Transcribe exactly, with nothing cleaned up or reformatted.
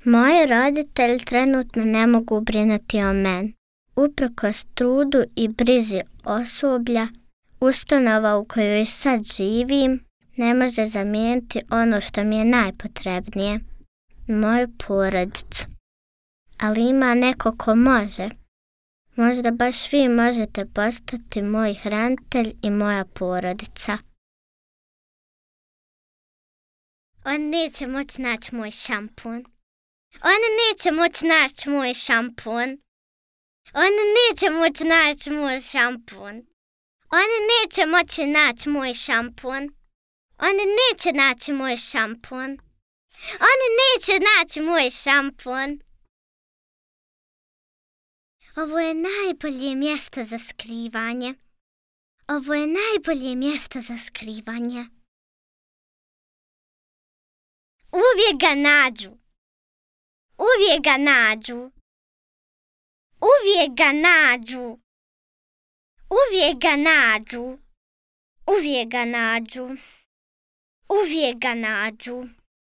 Moji roditelji trenutno ne mogu brinuti o meni. Uprkos trudu i brizi osoblja, ustanova u kojoj sad živim ne može zamijeniti ono što mi je najpotrebnije, moju porodicu. Ali ima neko ko može. Možda baš vi možete postati moj hranitelj i moja porodica. On neće moći naći moj šampun. On neće moći naći moj šampun. On neće moći naći moj šampun. On neće moći naći moj šampun. On neće naći moj šampun. On neće naći moj šampun. Ovo je najbolje mjesto za skrivanje. Ovo je najbolje mjesto za skrivanje. Uvijek ga nađu. Uvijek ga nađu. Uvijek ga nađu. Uvijek ga nađu. Uvijek ga nađu. Uvijek ga nađu.